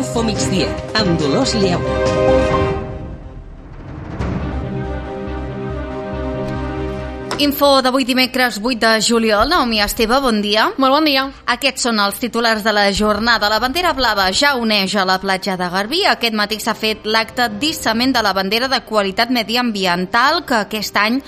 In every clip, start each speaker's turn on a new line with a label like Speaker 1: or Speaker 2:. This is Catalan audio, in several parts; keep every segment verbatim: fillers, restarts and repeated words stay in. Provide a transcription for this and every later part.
Speaker 1: Info migdia, amb Dolors Lleó.
Speaker 2: Info d'avui dimecres vuit de juliol. Naomi Esteve, bon dia.
Speaker 3: Molt bon dia.
Speaker 2: Aquests són els titulars de la jornada. La bandera blava ja uneix a la platja de Garbí. Aquest matí s'ha fet l'acte d'hissament de la bandera de qualitat mediambiental, que aquest any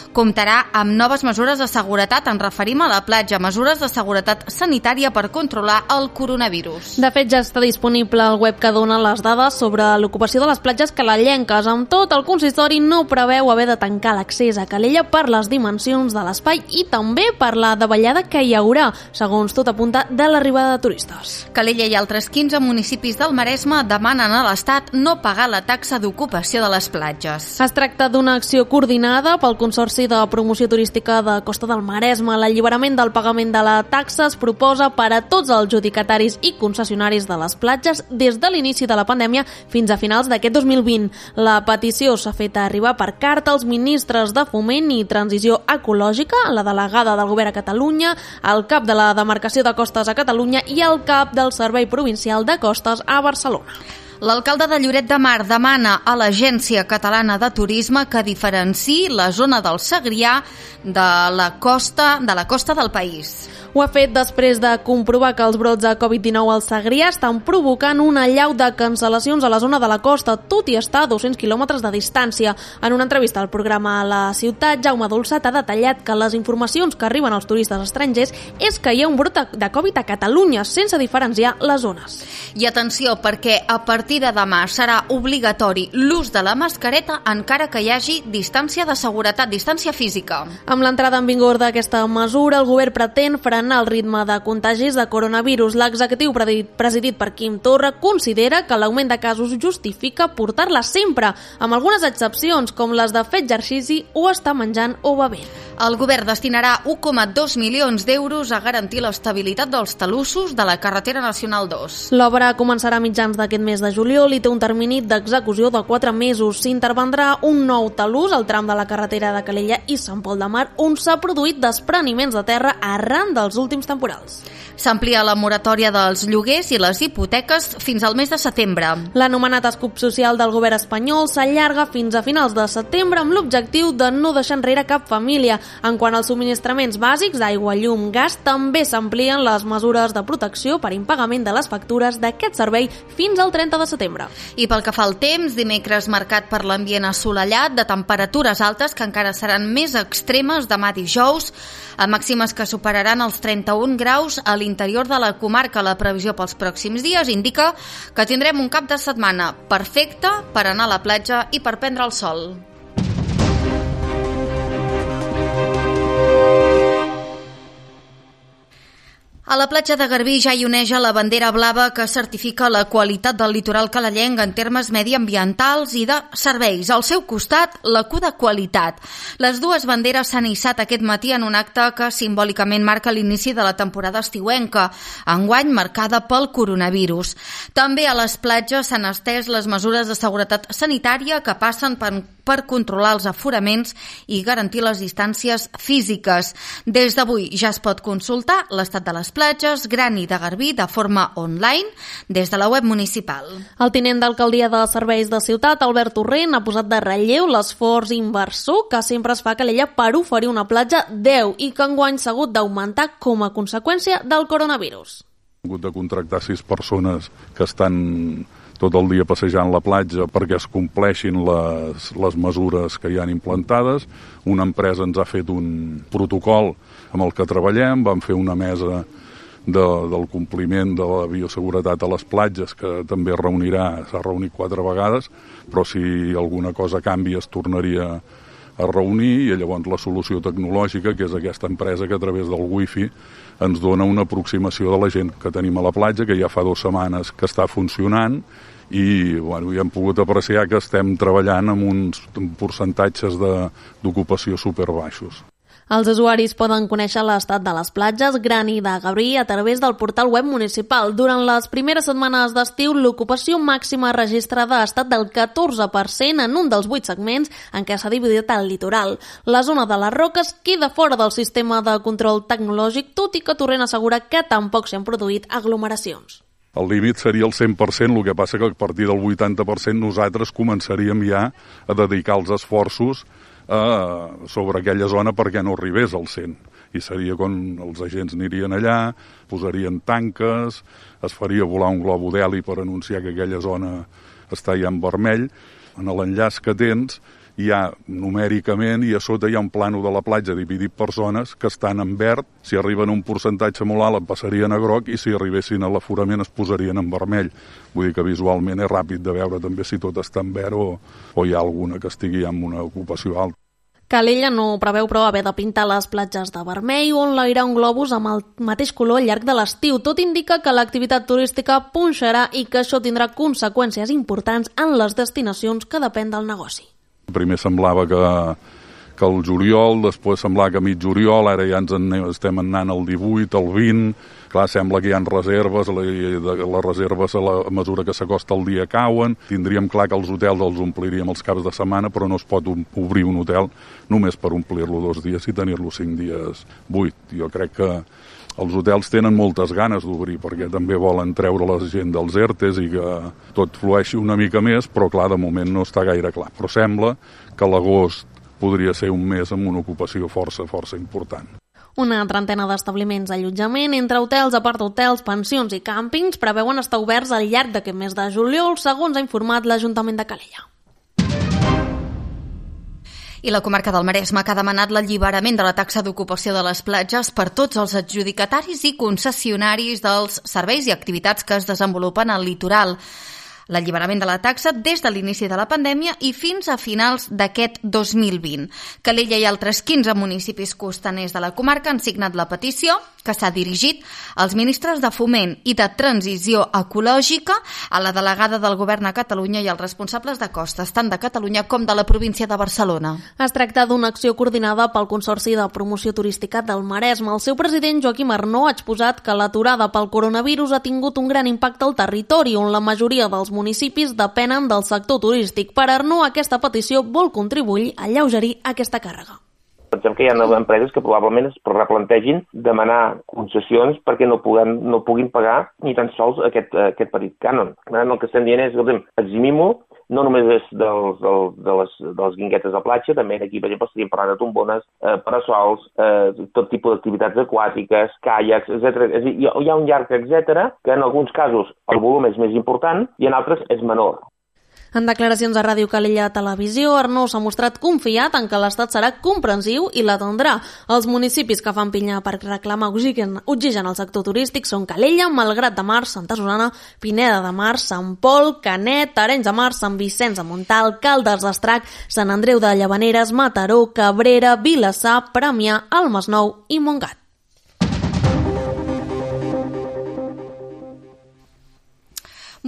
Speaker 2: comptarà amb noves mesures de seguretat. Ens referim a la platja, mesures de seguretat sanitària per controlar el coronavirus.
Speaker 3: De fet, ja està disponible el web que dona les dades sobre l'ocupació de les platges calellenques. Amb tot, el consistori no preveu haver de tancar l'accés a Calella per les dimensions de l'espai i també per la davallada que hi haurà, segons tot apunta, de l'arribada de turistes.
Speaker 2: Calella i altres quinze municipis del Maresme demanen a l'Estat no pagar la taxa d'ocupació de les platges.
Speaker 3: Es tracta d'una acció coordinada pel Consorci de Promoció Turística de Costa del Maresme. L'alliberament del pagament de la taxa es proposa per a tots els adjudicataris i concessionaris de les platges des de l'inici de la pandèmia fins a finals d'aquest dos mil vint. La petició s'ha fet arribar per carta als ministres de Foment i Transició Ecològica, la delegada del Govern a Catalunya, el cap de la demarcació de Costes a Catalunya i el cap del Servei Provincial de Costes a Barcelona.
Speaker 2: L'alcalde de Lloret de Mar demana a l'Agència Catalana de Turisme que diferenciï la zona del Segrià de la costa de la costa del país.
Speaker 3: Ho ha fet després de comprovar que els brots de covid dinou al Segrià estan provocant una allau de cancel·lacions a la zona de la costa, tot i estar a dos-cents quilòmetres de distància. En una entrevista al programa La Ciutat, Jaume Dolçat ha detallat que les informacions que arriben als turistes estrangers és que hi ha un brot de Covid a Catalunya, sense diferenciar les zones.
Speaker 2: I atenció, perquè a partir de demà serà obligatori l'ús de la mascareta encara que hi hagi distància de seguretat, distància física.
Speaker 3: Amb l'entrada en vigor d'aquesta mesura, el govern pretén frenar el ritme de contagis de coronavirus. L'executiu presidit per Quim Torra considera que l'augment de casos justifica portar-la sempre, amb algunes excepcions, com les de fer exercici o estar menjant o bevent.
Speaker 2: El govern destinarà un coma dos milions d'euros a garantir l'estabilitat dels talussos de la carretera nacional dos.
Speaker 3: L'obra començarà a mitjans d'aquest mes de juliol i té un termini d'execució de quatre mesos. S'intervendrà un nou talús al tram de la carretera de Calella i Sant Pol de Mar, on s'ha produït despreniments de terra arran dels últims temporals.
Speaker 2: S'amplia la moratòria dels lloguers i les hipoteques fins al mes de setembre.
Speaker 3: L'anomenat escut social del govern espanyol s'allarga fins a finals de setembre amb l'objectiu de no deixar enrere cap família. En quant als subministraments bàsics d'aigua, llum, gas, també s'amplien les mesures de protecció per impagament de les factures d'aquest servei fins al trenta de setembre.
Speaker 2: I pel que fa al temps, dimecres marcat per l'ambient assolellat, de temperatures altes que encara seran més extremes demà dijous, a màximes que superaran els trenta-un graus a l'interior de la comarca. La previsió pels pròxims dies indica que tindrem un cap de setmana perfecte per anar a la platja i per prendre el sol. A la platja de Garbí ja hi oneja la bandera blava que certifica la qualitat del litoral calellenc en termes mediambientals i de serveis. Al seu costat, la Q de qualitat. Les dues banderes s'han hissat aquest matí en un acte que simbòlicament marca l'inici de la temporada estiuenca, enguany marcada pel coronavirus. També a les platges s'han estès les mesures de seguretat sanitària que passen per per controlar els aforaments i garantir les distàncies físiques. Des d'avui ja es pot consultar l'estat de les platges Grani de Garbí de forma online des de la web municipal.
Speaker 3: El tinent d'alcaldia de Serveis de Ciutat, Albert Torrent, ha posat de relleu l'esforç inversor que sempre es fa a Calella per oferir una platja deu i que enguany s'ha hagut d'augmentar com a conseqüència del coronavirus.
Speaker 4: Hem hagut de contractar sis persones que estan tot el dia passejant la platja perquè es compleixin les, les mesures que hi han implantades. Una empresa ens ha fet un protocol amb el que treballem, vam fer una mesa de, del compliment de la bioseguretat a les platges, que també es reunirà, s'ha reunit quatre vegades, però si alguna cosa canvia es tornaria a reunir, i llavors la solució tecnològica, que és aquesta empresa que a través del wifi ens dona una aproximació de la gent que tenim a la platja, que ja fa dues setmanes que està funcionant, i bueno, ja hem pogut apreciar que estem treballant amb uns percentatges d'ocupació superbaixos.
Speaker 3: Els usuaris poden conèixer l'estat de les platges Grani de Garbí a través del portal web municipal. Durant les primeres setmanes d'estiu, l'ocupació màxima registrada ha estat del catorze per cent en un dels vuit segments en què s'ha dividit el litoral. La zona de les Roques queda fora del sistema de control tecnològic, tot i que Torrent assegura que tampoc s'han produït aglomeracions.
Speaker 4: El límit seria el cent per cent, el que passa que a partir del vuitanta per cent nosaltres començaríem ja a dedicar els esforços a, sobre aquella zona perquè no arribés al cent. I seria quan els agents anirien allà, posarien tanques, es faria volar un globo d'heli per anunciar que aquella zona està ja en vermell. En l'enllaç que tens hi ha numèricament i a sota hi ha un plànol de la platja dividit per zones que estan en verd. Si arriben a un percentatge molt alt en passarien a groc i si arribessin a l'aforament es posarien en vermell. Vull dir que visualment és ràpid de veure també si tot està en verd o, o hi ha alguna que estigui amb una ocupació alta.
Speaker 3: Calella no preveu, però, haver de pintar les platges de vermell o enlairar un globus amb el mateix color al llarg de l'estiu. Tot indica que l'activitat turística punxarà i que això tindrà conseqüències importants en les destinacions que depèn del negoci.
Speaker 4: Primer semblava que, que el juliol, després semblava que mig juliol, ara ja ens en, estem anant al divuit, al vint. Clar, sembla que hi ha reserves, les reserves a la mesura que s'acosta el dia cauen. Tindríem clar que els hotels els ompliríem els caps de setmana, però no es pot obrir un hotel només per omplir-lo dos dies i tenir-lo cinc dies buit. Jo crec que els hotels tenen moltes ganes d'obrir perquè també volen treure la gent dels ERTEs i que tot flueixi una mica més, però clar, de moment no està gaire clar. Però sembla que l'agost podria ser un mes amb una ocupació força, força important.
Speaker 3: Una trentena d'establiments d'allotjament, entre hotels, apart-hotels, pensions i càmpings, preveuen estar oberts al llarg d'aquest mes de juliol, segons ha informat l'Ajuntament de Calella.
Speaker 2: I la comarca del Maresme que ha demanat l'alliberament de la taxa d'ocupació de les platges per tots els adjudicataris i concessionaris dels serveis i activitats que es desenvolupen al litoral. L'alliberament de la taxa des de l'inici de la pandèmia i fins a finals d'aquest dos mil vint. Calella i altres quinze municipis costaners de la comarca han signat la petició que s'ha dirigit als ministres de Foment i de Transició Ecològica, a la delegada del Govern a Catalunya i als responsables de costes, tant de Catalunya com de la província de Barcelona.
Speaker 3: Es tracta d'una acció coordinada pel Consorci de Promoció Turística del Maresme. El seu president, Joaquim Arnó, ha exposat que l'aturada pel coronavirus ha tingut un gran impacte al territori, on la majoria dels municipis depenen del sector turístic. Per Arnó, aquesta petició vol contribuir a alleugerir aquesta càrrega.
Speaker 5: Pensem que hi ha empreses que probablement es replantegin demanar concessions perquè no puguin, no puguin pagar ni tan sols aquest, aquest petit cànon. El que estem dient és, escolta'm, eximim-ho, no només és dels, dels, de, les, de les guinguetes de platja, també aquí, per exemple, estaríem parlant de tombones, eh, parasols, eh, tot tipus d'activitats aquàtiques, caiacs, etcètera. És a dir, hi ha un llarg etcètera que en alguns casos el volum és més important i en altres és menor.
Speaker 3: En declaracions a Ràdio Calella Televisió, Arnó s'ha mostrat confiat en que l'Estat serà comprensiu i l'atendrà. Els municipis que fan pinya per reclamar oxigen, oxigen al sector turístic són Calella, Malgrat de Mar, Santa Susana, Pineda de Mar, Sant Pol, Canet, Arenys de Mar, Sant Vicenç de Montalt, Caldes d'Estrac, Sant Andreu de Llavaneres, Mataró, Cabrera, Vilassar, Premià, el Masnou i Montgat.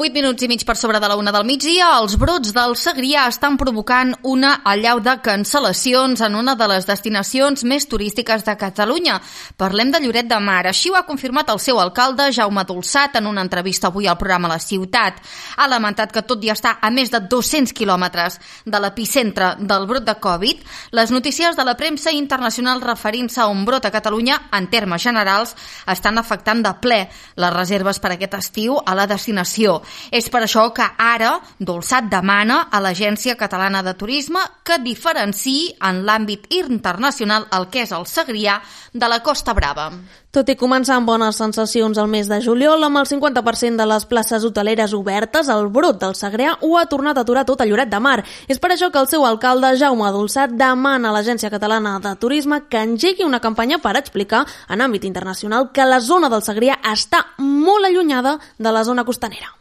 Speaker 2: vuit minuts i mig per sobre de la una del migdia, els brots del Segrià estan provocant una allau de cancel·lacions en una de les destinacions més turístiques de Catalunya. Parlem de Lloret de Mar. Així ho ha confirmat el seu alcalde, Jaume Dolçat, en una entrevista avui al programa La Ciutat. Ha lamentat que tot i estar a més de dos-cents quilòmetres de l'epicentre del brot de Covid, les notícies de la premsa internacional referint-se a un brot a Catalunya, en termes generals, estan afectant de ple les reserves per aquest estiu a la destinació. És per això que ara Dolçat demana a l'Agència Catalana de Turisme que diferenciï en l'àmbit internacional el que és el Segrià de la Costa Brava.
Speaker 3: Tot i començar amb bones sensacions al mes de juliol, amb el cinquanta per cent de les places hoteleres obertes, el brot del Segrià ho ha tornat a aturar tot a Lloret de Mar. És per això que el seu alcalde, Jaume Dolçat, demana a l'Agència Catalana de Turisme que engegui una campanya per explicar en àmbit internacional que la zona del Segrià està molt allunyada de la zona costanera.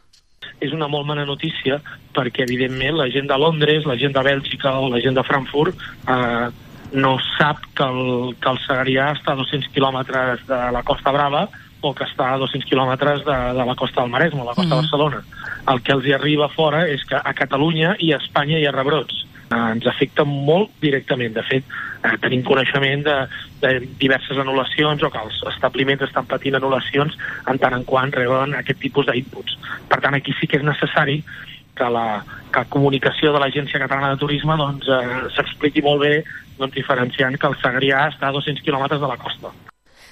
Speaker 6: És una molt mala notícia perquè, evidentment, la gent de Londres, la gent de Bèlgica o la gent de Frankfurt eh, no sap que el, que el Segrià està a dos-cents quilòmetres de la Costa Brava o que està a dos-cents quilòmetres de, de la costa del Maresme, la costa mm. de Barcelona. El que els hi arriba fora és que a Catalunya i a Espanya hi ha rebrots. Eh, ens afecta molt directament. De fet, eh, tenim coneixement de, de diverses anul·lacions o que els establiments estan patint anul·lacions en tant en quant reben aquest tipus d'inputs. Per tant, aquí sí que és necessari que la, que la comunicació de l'Agència Catalana de Turisme doncs, eh, s'expliqui molt bé, doncs, diferenciant que el Segrià està a dos-cents quilòmetres de la costa.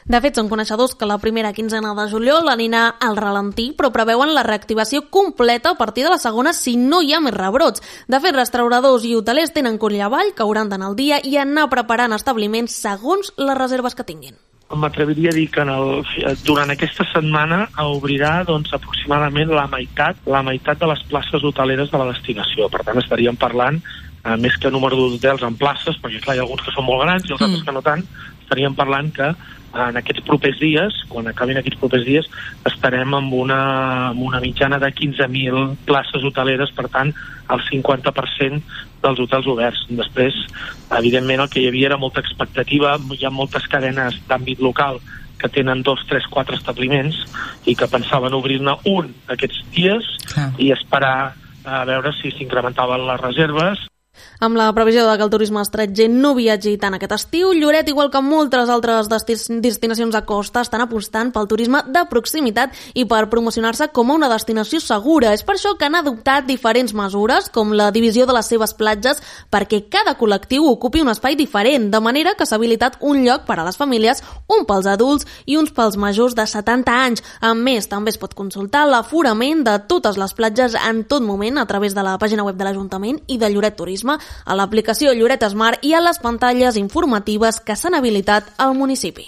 Speaker 3: De fet, són coneixedors que la primera quinzena de juliol anirà al ralentí, però preveuen la reactivació completa a partir de la segona si no hi ha més rebrots. De fet, restauradors i hotelers tenen coll avall que hauran d'anar al dia i anar preparant establiments segons les reserves que tinguin.
Speaker 6: M'atreviria a dir que en el, durant aquesta setmana obrirà doncs, aproximadament la meitat, la meitat de les places hoteleres de la destinació. Per tant, estaríem parlant, eh, més que número d'hotels en places, perquè clar, hi ha alguns que són molt grans i els altres que no tant, estaríem parlant que en aquests propers dies, quan acabin aquests propers dies, estarem amb una, amb una mitjana de quinze mil places hoteleres, per tant, el cinquanta per cent dels hotels oberts. Després, evidentment, el que hi havia era molta expectativa, hi ha moltes cadenes d'àmbit local que tenen dos, tres, quatre establiments i que pensaven obrir-ne un aquests dies ah. i esperar a veure si s'incrementaven les reserves.
Speaker 3: Amb la previsió de que el turisme estranger no viatgi tant aquest estiu, Lloret, igual que moltes altres destinacions a costa, estan apostant pel turisme de proximitat i per promocionar-se com a una destinació segura. És per això que han adoptat diferents mesures, com la divisió de les seves platges, perquè cada col·lectiu ocupi un espai diferent, de manera que s'ha habilitat un lloc per a les famílies, un pels adults i uns pels majors de setanta anys. A més, també es pot consultar l'aforament de totes les platges en tot moment a través de la pàgina web de l'Ajuntament i de Lloret Turisme, a l'aplicació Lloret Smart i a les pantalles informatives que s'han habilitat al municipi.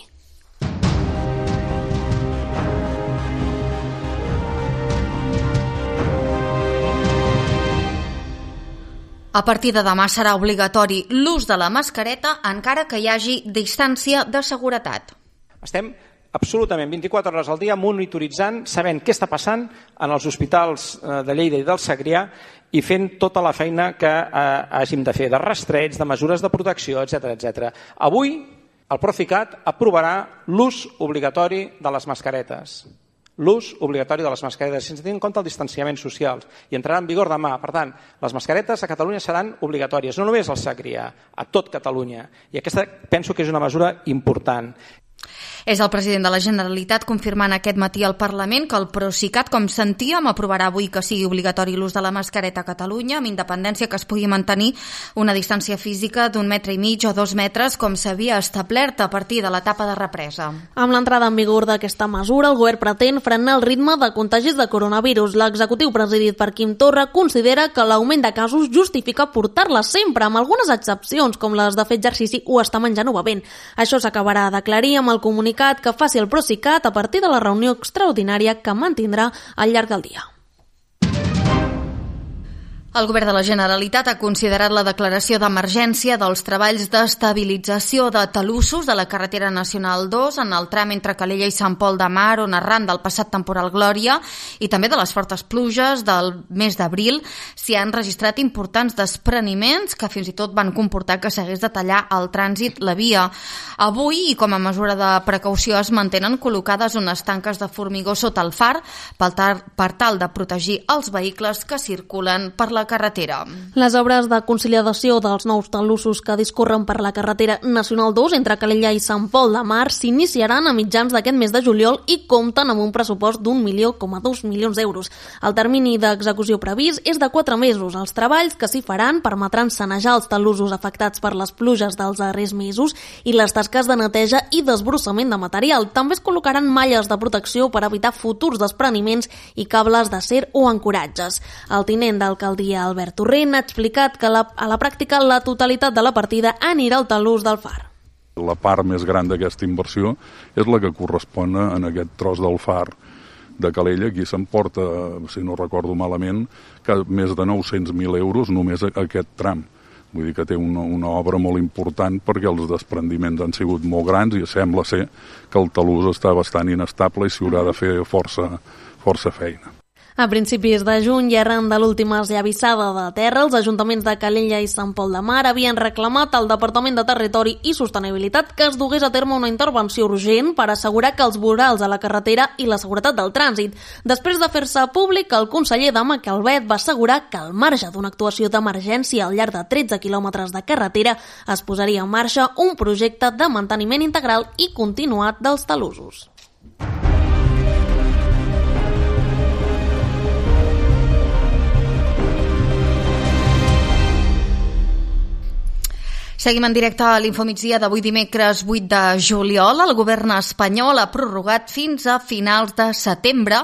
Speaker 2: A partir de demà serà obligatori l'ús de la mascareta encara que hi hagi distància de seguretat.
Speaker 7: Estem absolutament vint-i-quatre hores al dia monitoritzant, sabent què està passant en els hospitals de Lleida i del Segrià i fent tota la feina que eh, hàgim de fer, de rastreig, de mesures de protecció, etcètera, etcètera. Avui el Procicat aprovarà l'ús obligatori de les mascaretes. L'ús obligatori de les mascaretes, sense tenir en compte el distanciament social, i entrarà en vigor demà. Per tant, les mascaretes a Catalunya seran obligatòries, no només al Segrià, a tot Catalunya. I aquesta penso que és una mesura important.
Speaker 2: És el president de la Generalitat confirmant aquest matí al Parlament que el Procicat, com sentíem, aprovarà avui que sigui obligatori l'ús de la mascareta a Catalunya, amb independència que es pugui mantenir una distància física d'un metre i mig o dos metres, com s'havia establert a partir de l'etapa de represa.
Speaker 3: Amb l'entrada en vigor d'aquesta mesura, el govern pretén frenar el ritme de contagis de coronavirus. L'executiu presidit per Quim Torra considera que l'augment de casos justifica portar-la sempre, amb algunes excepcions, com les de fer exercici o estar menjant o bevent. Això s'acabarà d'aclarir amb el comunicat que faci el Procicat a partir de la reunió extraordinària que mantindrà al llarg del dia.
Speaker 2: El govern de la Generalitat ha considerat la declaració d'emergència dels treballs d'estabilització de talussos de la carretera nacional dos en el tram entre Calella i Sant Pol de Mar, on arran del passat temporal Glòria i també de les fortes pluges del mes d'abril s'hi han registrat importants despreniments que fins i tot van comportar que s'hagués de tallar el trànsit la via. Avui, i com a mesura de precaució, es mantenen col·locades unes tanques de formigó sota el far per tal de protegir els vehicles que circulen per la carretera.
Speaker 3: Les obres de conciliació dels nous talussos que discorren per la carretera nacional dos entre Calella i Sant Pol de Mar s'iniciaran a mitjans d'aquest mes de juliol i compten amb un pressupost d'un milió coma dos milions d'euros. El termini d'execució previst és de quatre mesos. Els treballs que s'hi faran permetran sanejar els talussos afectats per les pluges dels darrers mesos i les tasques de neteja i desbrossament de material. També es col·locaran malles de protecció per evitar futurs despreniments i cables d'acer o ancoratges. El tinent d'alcaldia Albert Torrent ha explicat que la, a la pràctica la totalitat de la partida anirà al talús del far.
Speaker 4: La part més gran d'aquesta inversió és la que correspon en aquest tros del far de Calella. Aquí s'emporta, si no recordo malament, que més de nou-cents mil euros només aquest tram. Vull dir que té una, una obra molt important perquè els desprendiments han sigut molt grans i sembla ser que el talús està bastant inestable i s'hi haurà de fer força, força feina.
Speaker 3: A principis de juny i arran de l'última esllavissada de terra, els ajuntaments de Calella i Sant Pol de Mar havien reclamat al Departament de Territori i Sostenibilitat que es dugués a terme una intervenció urgent per assegurar que els vorals a la carretera i la seguretat del trànsit. Després de fer-se públic, el conseller Dama Calvet va assegurar que al marge d'una actuació d'emergència al llarg de tretze quilòmetres de carretera es posaria en marxa un projecte de manteniment integral i continuat dels talussos.
Speaker 2: Seguim en directe a l'Infomigdia d'avui dimecres vuit de juliol. El govern espanyol ha prorrogat fins a finals de setembre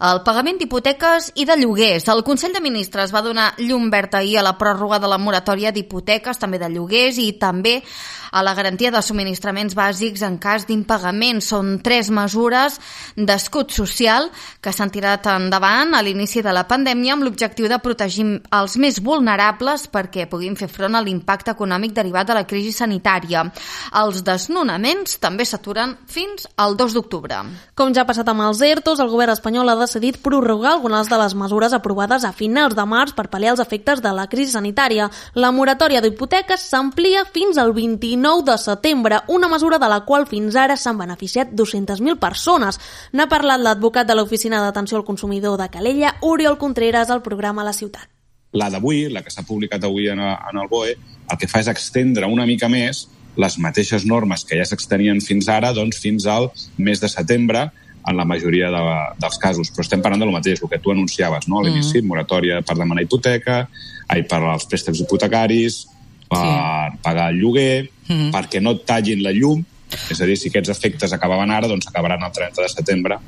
Speaker 2: el pagament d'hipoteques i de lloguers. El Consell de Ministres va donar llum verda ahir a la pròrroga de la moratòria d'hipoteques, també de lloguers i també a la garantia de subministraments bàsics en cas d'impagament. Són tres mesures d'escut social que s'han tirat endavant a l'inici de la pandèmia amb l'objectiu de protegir els més vulnerables perquè puguin fer front a l'impacte econòmic derivat de la crisi sanitària. Els desnonaments també s'aturen fins al dos d'octubre.
Speaker 3: Com ja ha passat amb els ERTOs, el govern espanyol ha decidit prorrogar algunes de les mesures aprovades a finals de març per pal·liar els efectes de la crisi sanitària. La moratòria d'hipoteques s'amplia fins al vint-i-nou de setembre, una mesura de la qual fins ara s'han beneficiat dues-centes mil persones. N'ha parlat l'advocat de l'Oficina d'Atenció al Consumidor de Calella, Oriol Contreras, al programa La Ciutat.
Speaker 8: La d'avui, la que s'ha publicat avui en el B O E, el que fa és extendre una mica més les mateixes normes que ja s'extenien fins ara, doncs fins al mes de setembre, en la majoria de, dels casos, però estem parlant del mateix, el que tu anunciaves, no? A l'inici, mm. moratòria per demanar hipoteca, ai, per als préstecs hipotecaris, per sí. pagar el lloguer, mm. perquè no et tallin la llum, és a dir, si aquests efectes acabaven ara, doncs acabaran el trenta de setembre.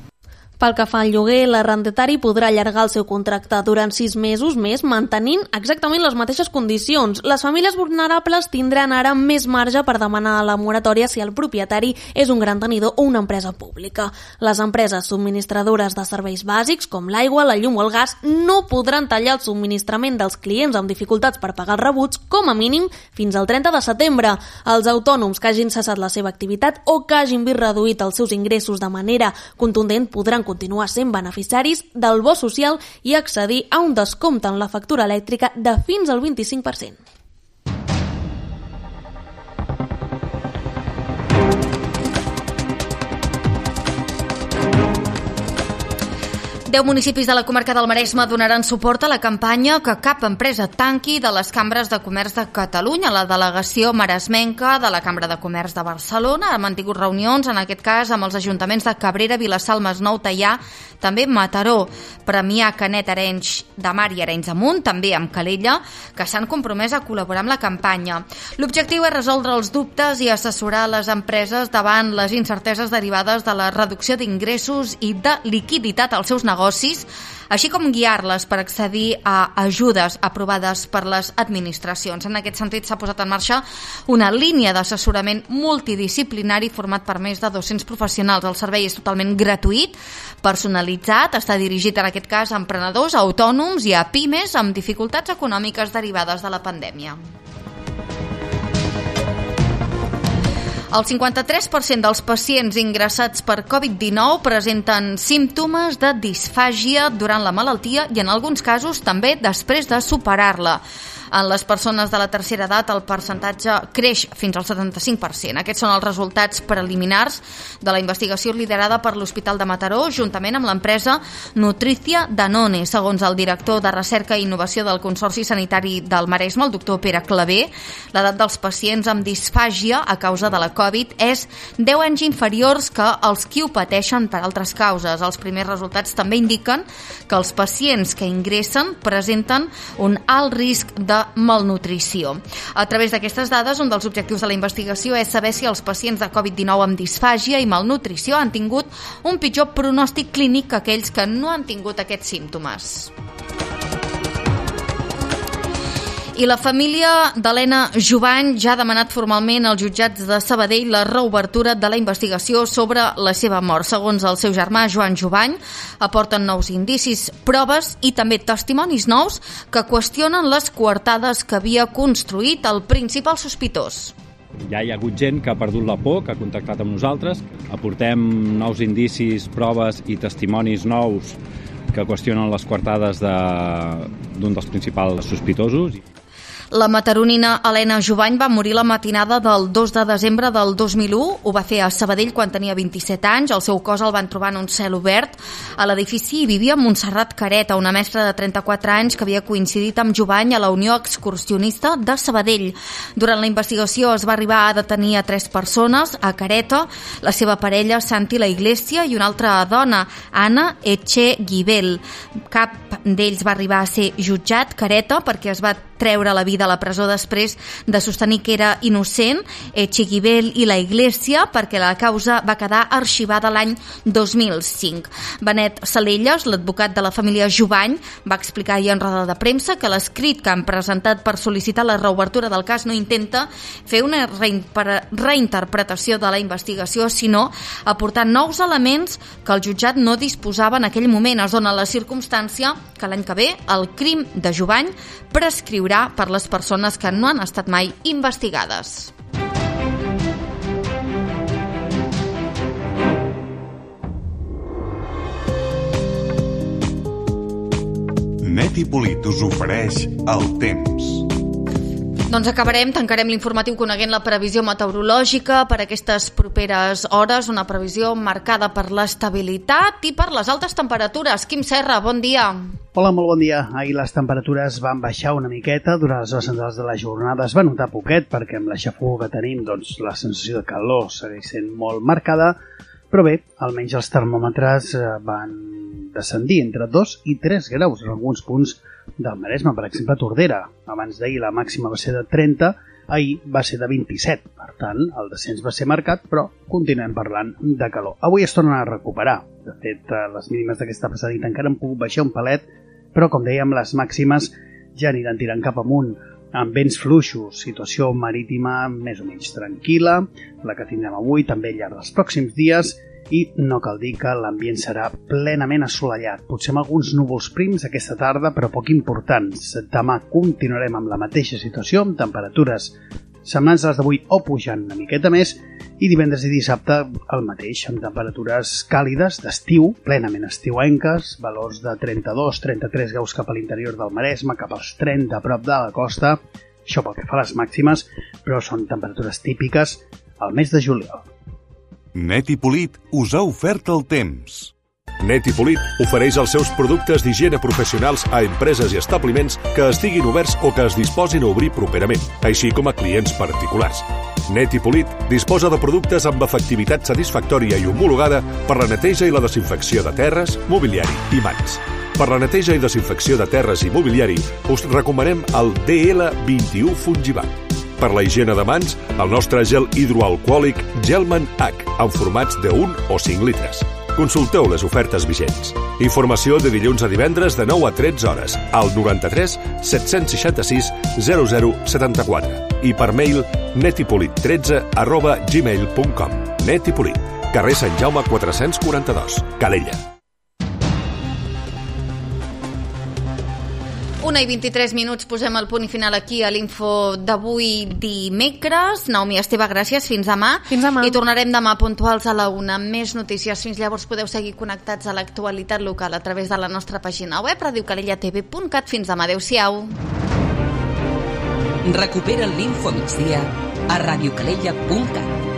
Speaker 3: Pel que fa al lloguer, l'arrendatari podrà allargar el seu contracte durant sis mesos més, mantenint exactament les mateixes condicions. Les famílies vulnerables tindran ara més marge per demanar la moratòria si el propietari és un gran tenidor o una empresa pública. Les empreses subministradores de serveis bàsics, com l'aigua, la llum o el gas, no podran tallar el subministrament dels clients amb dificultats per pagar els rebuts, com a mínim fins al trenta de setembre. Els autònoms que hagin cessat la seva activitat o que hagin vist reduït els seus ingressos de manera contundent podran continuar sent beneficiaris del bo social i accedir a un descompte en la factura elèctrica de fins al vint-i-cinc per cent.
Speaker 2: Deu municipis de la comarca del Maresme donaran suport a la campanya Que cap empresa tanqui de les cambres de comerç de Catalunya. La delegació maresmenca de la Cambra de Comerç de Barcelona ha mantingut reunions, en aquest cas amb els ajuntaments de Cabrera, Vilassar, el Masnou, Teià, també Mataró, Premià, Canet, Arenys de Mar i Arenys de Munt, també amb Calella, que s'han compromès a col·laborar amb la campanya. L'objectiu és resoldre els dubtes i assessorar les empreses davant les incerteses derivades de la reducció d'ingressos i de liquiditat als seus negocis, així com guiar-les per accedir a ajudes aprovades per les administracions. En aquest sentit, s'ha posat en marxa una línia d'assessorament multidisciplinari format per més de dos-cents professionals. El servei és totalment gratuït, personalitzat, està dirigit en aquest cas a emprenedors, a autònoms i a pimes amb dificultats econòmiques derivades de la pandèmia. El cinquanta-tres per cent dels pacients ingressats per covid dinou presenten símptomes de disfàgia durant la malaltia i en alguns casos també després de superar-la. En les persones de la tercera edat el percentatge creix fins al setanta-cinc per cent. Aquests són els resultats preliminars de la investigació liderada per l'Hospital de Mataró juntament amb l'empresa Nutricia Danone. Segons el director de Recerca i Innovació del Consorci Sanitari del Maresme, el doctor Pere Clavé, l'edat dels pacients amb disfàgia a causa de la Covid és deu anys inferiors que els qui ho pateixen per altres causes. Els primers resultats també indiquen que els pacients que ingressen presenten un alt risc de malnutrició. A través d'aquestes dades, un dels objectius de la investigació és saber si els pacients de covid dinou amb disfàgia i malnutrició han tingut un pitjor pronòstic clínic que aquells que no han tingut aquests símptomes. I la família d'Helena Jubany ja ha demanat formalment als jutjats de Sabadell la reobertura de la investigació sobre la seva mort. Segons el seu germà, Joan Jubany, aporten nous indicis, proves i també testimonis nous que qüestionen les coartades que havia construït el principal sospitós.
Speaker 9: Ja hi ha hagut gent que ha perdut la por, que ha contactat amb nosaltres. Aportem nous indicis, proves i testimonis nous que qüestionen les coartades d'un dels principals sospitosos.
Speaker 2: La mataronina Helena Jubany va morir la matinada del dos de desembre del dos mil u. Ho va fer a Sabadell quan tenia vint-i-set anys. El seu cos el van trobar en un cel obert. A l'edifici hi vivia Montserrat Careta, una mestra de trenta-quatre anys que havia coincidit amb Jubany a la Unió Excursionista de Sabadell. Durant la investigació es va arribar a detenir a tres persones, a Careta, la seva parella Santi La Iglesia i una altra dona, Anna Echeguibel. Cap d'ells va arribar a ser jutjat, Careta, perquè es va treure la vida a la presó després de sostenir que era innocent, Echiguibel i la Iglesia, perquè la causa va quedar arxivada l'any dos mil cinc. Benet Salelles, l'advocat de la família Jubany, va explicar ahir en roda de premsa que l'escrit que han presentat per sol·licitar la reobertura del cas no intenta fer una reinterpretació de la investigació, sinó aportar nous elements que el jutjat no disposava en aquell moment. Es dona la circumstància que l'any que ve el crim de Jubany prescriurà per les persones que no han estat mai investigades.
Speaker 10: Net i Polit us ofereix el temps.
Speaker 2: Doncs acabarem, tancarem l'informatiu coneguent la previsió meteorològica per aquestes properes hores, una previsió marcada per l'estabilitat i per les altes temperatures. Quim Serra, bon dia.
Speaker 11: Hola, molt bon dia. Ahir les temperatures van baixar una miqueta, durant les hores centrals de la jornada es va notar poquet, perquè amb la xafogor que tenim, doncs la sensació de calor segueix sent molt marcada, però bé, almenys els termòmetres van descendir entre dos i tres graus en alguns punts del Maresme, per exemple a Tordera. Abans d'ahir la màxima va ser de trenta, ahir va ser de vint-i-set. Per tant, el descens va ser marcat, però continuem parlant de calor. Avui es tornen a recuperar. De fet, les mínimes d'aquesta passada nit encara han pogut baixar un palet, però com dèiem, les màximes ja aniran tirant cap amunt, amb vents fluixos, situació marítima més o menys tranquil·la, la que tindrem avui, també al llarg dels pròxims dies, i no cal dir que l'ambient serà plenament assolellat, potser amb alguns núvols prims aquesta tarda, però poc importants. Demà continuarem amb la mateixa situació, amb temperatures semblants a les d'avui o pujant una miqueta més, i divendres i dissabte el mateix, amb temperatures càlides d'estiu, plenament estiuenques, valors de trenta-dos a trenta-tres graus cap a l'interior del Maresme, cap als trenta a prop de la costa, això pel que fa a les màximes, però són temperatures típiques al mes de juliol.
Speaker 10: Net i Polit us ha ofert el temps.
Speaker 12: Net i Polit ofereix els seus productes d'higiene professionals a empreses i establiments que estiguin oberts o que es disposin a obrir properament, així com a clients particulars. Net i Polit disposa de productes amb efectivitat satisfactòria i homologada per la neteja i la desinfecció de terres, mobiliari i mans. Per la neteja i desinfecció de terres i mobiliari us recomanem el D L vint-i-u Fungibat. Per la higiene de mans, el nostre gel hidroalcohòlic Gelman H, en formats de un o cinc litres. Consulteu les ofertes vigents. Informació de dilluns a divendres de nou a tretze hores al noranta-tres set-cents seixanta-sis zero zero setanta-quatre i per mail netipolit tretze arroba gmail punt com. Net i Polit, carrer Sant Jaume quatre-cents quaranta-dos, Calella.
Speaker 2: Una i vint-i-tres minuts, posem el punt i final aquí a l'info d'avui dimecres. Naomi Esteve, gràcies, fins demà.
Speaker 3: Fins demà.
Speaker 2: I tornarem demà puntuals a la una. Més notícies, fins llavors podeu seguir connectats a l'actualitat local a través de la nostra pàgina web ràdio calella t v punt cat. Fins demà, adeu-siau.
Speaker 1: Recupera l'info migdia a radiocalella punt cat.